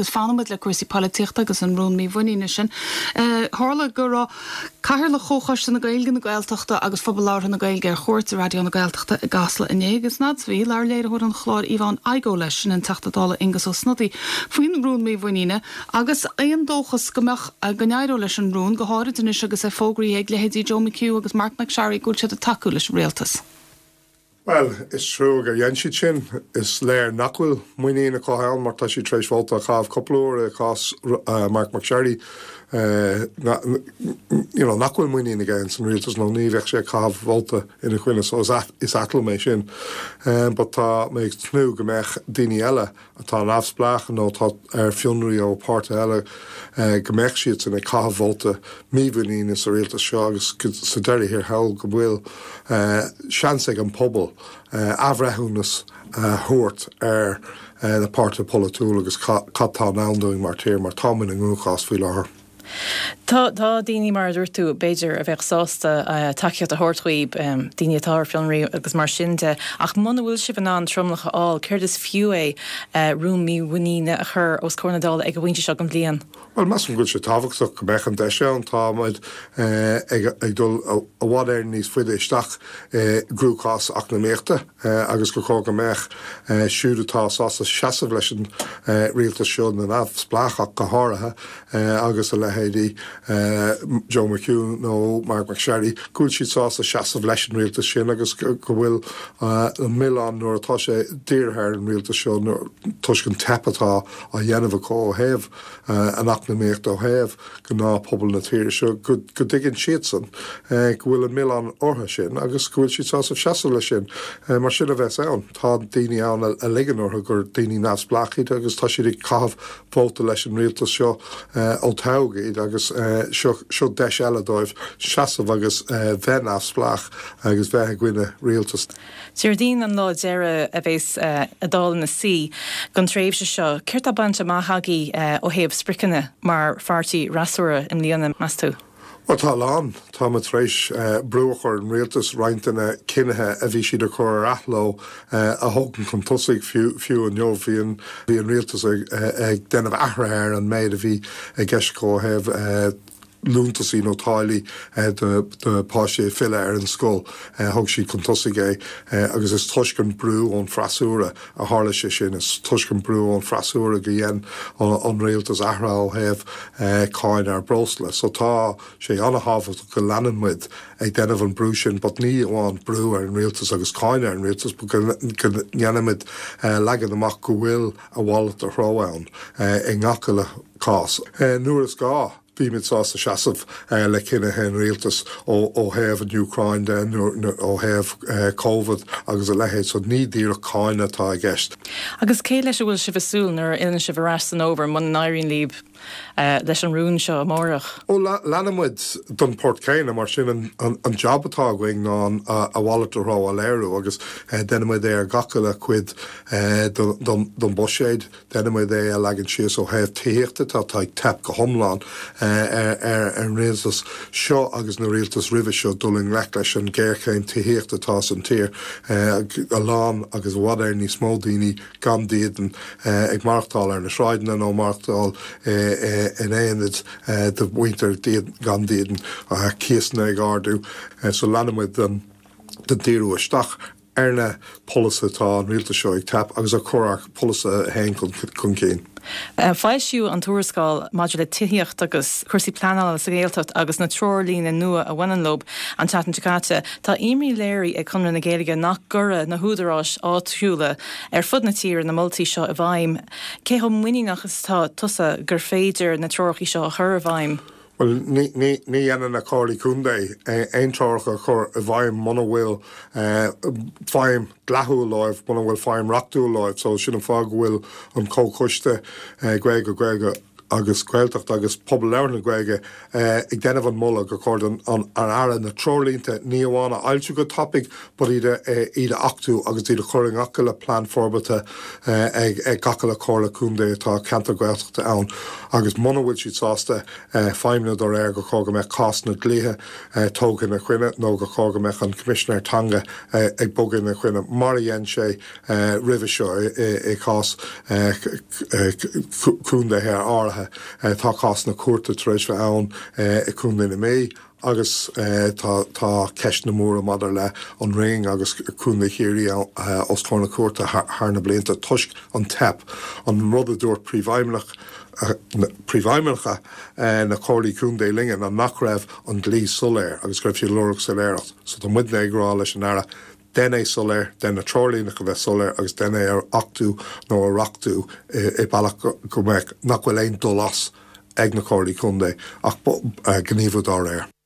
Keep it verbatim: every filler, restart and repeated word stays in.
Agus fanfaimid le cúrsaí polaitíochta agus an rún mímhuiníne sin. Tharla go raibh Cathaoirleach Chomhchoiste na Gaeilge, na Gaeltachta agus Phobal Labhartha na Gaeilge ar chuairt i Raidió na Gaeltachta i gCasla inné agus fad a bhí labhair léiritheoir an chláir Yvonne Igoe leis sin an Teachta Dála Aengus Ó Snodaigh faoin rún mímhuiníne agus aon dóchas go mbeadh go n-éireodh leis an rún go háirid anois agus é fógraithe ag leithéidí Joe McHugh agus Marc MacSharry go bhfuil siad ag tacú leis an rialtas. Well, is trua gur dhein siad sin is léir nach bhfuil muinín acu ann mar tá siad tar éis vóta a chaitheamh cúpla uair i gcás uh, Marc MacSharry uh, na, you know, nach bhfuil muinín aige san rialtas nó ní bheadh sé ag caitheamh vóta ina choinne so is is ait liom é sin. Um, but tá mé ag tnúth go mbeadh daoine eile atá neamhspleách nó tá ar fionraí ó páirtí eile uh, go mbeadh siad san ag caitheamh vóta mímhuiníne sa rialtas seo agus sa deireadh thiar thall go bhfuil uh, seans ag an pobal uh, athbhreithiúnas uh, thabhairt ar uh, na páirtithe polaitiúla agus cad atá i ndán dúinn mar thír mar táimid i gcruachás faoi láthair. Tá tá daoine mar dúirt tú b'fhéidir a bheadh sásta uh, tacaíocht a thabhairt daoibh um, daoine atá ar fionraí agus mar sin de ach muna bhfuil sibh in ann tromlach a fháil céard is fiú é uh, rún mímhuiníne a chur os comhair na Dála ag an bpointe seo den bhliain. Well measaim go bhfuil sé tábhachtach go mbeadh an deis ann táimid eh, ag ag dul i bhfad ar níos faide isteach i gcruachás eacnamaíochta agus go có go mbeadh siúd atá sásta seasamh leis an rialtas seo na neamhspleácha go háirithe agus a leithéidí Joe McHugh nó Marc MacSharry, go bhfuil siad sásta seasamh leis an rialtas sin agus go bhfuil an milleán nuair atá sé dírithe ar an rialtas seo toisc an teip atá á dhéanamh acu ó thaobh an eacnamaíocht ó thaobh gnáthphobal na tíre seo go dtuigeann siadsan go bhfuil an milleán orthu sin agus go bhfuil siad sásta seasamh leis sin mar sin a bheas ann tá daoine ann a ligeann orthu gur daoine neamhspleách iad agus tá siad ag caitheamh vóta leis an rialtas seo ó toghadh iad agus seo seo deis eile dóibh seasamh agus bheith neamhspleách agus bheith i gcoinne rialtas. Déardaoin an lá deireadh a bheas an Dáil ina suí don tréimhse seo, Céard atá bainte amach agaibh ó thaobh spriocanna mar pháirtí freasúra i mbliana meas tú? Well tá lán tá tar éis uh, brú a chur ar an rialtas roinnt de na cinnithe a bhí siad a chur ar athló uh, a thógáil chun tosaigh fiú fiú inniu bhí an bhí an rialtas ag, ag déanamh athruithe ar an méid a bhí i gceist ó thaobh uh, liúntasaí nó táillí do do pháistí filleadh ar an scoil thug siad chun tosaigh é agus is toisc an brú ón freasúra a tharla sé sin is toisc an brú ón freasúra go dhein an rialtas athrú ó thaobh cáin ar breosla. So tá sé an-tábhachtach go leanann muid ag déanamh an brú sin, but ní amháin brú ar an rialtas agus cáineadh ar an rialtas go ndéanaimid leagan amach go bhfuil a mhalairt de threo ann i ngach uile cás. Nuair is gá bímid sásta seasamh le cinnithe an rialtas ó thaobh an Úcráin de ó thaobh COVID agus a leithéid so ní díreach cáineadh atá i gceist. Agus cé leis a bhfuil sibh ag súil nuair a fhilleann sibh ar ais san fhómhar muna n-éiríonn libh leis an rún seo amárach. Ó leanfaimid den phort céanna mar sin an job atá againn ná a mhalairt de threo a léiriú agus déanaimid é ar gach uile cuid den bhuiséad, déanaimid é a leagan síos ó thaobh tithíochta tá tá ag teip go hiomlán ar an rialtas seo agus na rialtas roimhe seo dul i ngleic leis an géarchéim tithíochta atá san tír a lán agus i bhfad ar níos mó daoine gan dídean ag maireachtáil ar na sráideanna nó maireachtáil in aonaid de mhuintir gan dídean cíosanna ag ardú so leanfaimid den den díriú isteach ar na polasaithe atá an rialtas seo ag teip agus a chur ár polasaithe féin chun cinn. Foilsíodh an tuarascáil maidir le tithíocht agus cúrsaí pleanála sa Ghaeltacht agus na treoirlínte nua a bhaineann leo an tseachtain seo caite. Tá imní léirithe ag Conradh na Gaeilge nach gcuirfidh na húdaráis áitiúla ar fud na tíre na moltaí seo i bhfeidhm. Cé chomh muiníneach is atá tusa gur féidir na treoracha seo a chur i bhfeidhm? Well ní ní ní dhéanann na comhairlí contae aon treoracha a chur i bhfeidhm muna bhfuil feidhm dhlíthiúil leo, muna bhfuil feidhm reachtúil leo, so sin an fáth go bhfuil an comhchoiste Gaeilge Gaeilge agus Gaeltacht agus pobal labhartha na Gaeilge ag déanamh an moladh gur chóir don an Aire na treoirlínte ní amháin a fhoilsiú go tapaidh but iad iad a achtú agus iad a chur i ngach uile plean forbartha ag ag gach uile chomhairle contae atá ceantar Gaeltachta ann agus muna bhfuil siad sásta feidhmiú dá réir gur chóir go mbeadh cásanna dlíthe tógtha ina gcoinne nó gur chóir go mbeadh an Coimisinéir Teanga ag bogadh ina gcoinne mar a dhein sé roimhe seo i gcás contaetha áirithe. Tá cásanna cúirte tar éis bheith ann i gContae na Mí agus tá tá ceisteanna móra maidir le an Rinn agus Contae Chiarraí os comhair na cúirte thar na blianta toisc an teip, an rud a dúirt príomhfheidhmeannach príomhfheidhmeannacha na comhairlí contae linne ná nach raibh an dlí soiléir agus go raibh siad ag lorg soiléireacht. So tá muidne ag rá leis an Aire, Dein é soiléir, dein na treoirlíneacha a bheith soiléir agus dein é a achtú nó a reachtú i bealach go mbeadh, nach bhfuil aon dul as ag na comhairlí contae ach gníomhú dá réir.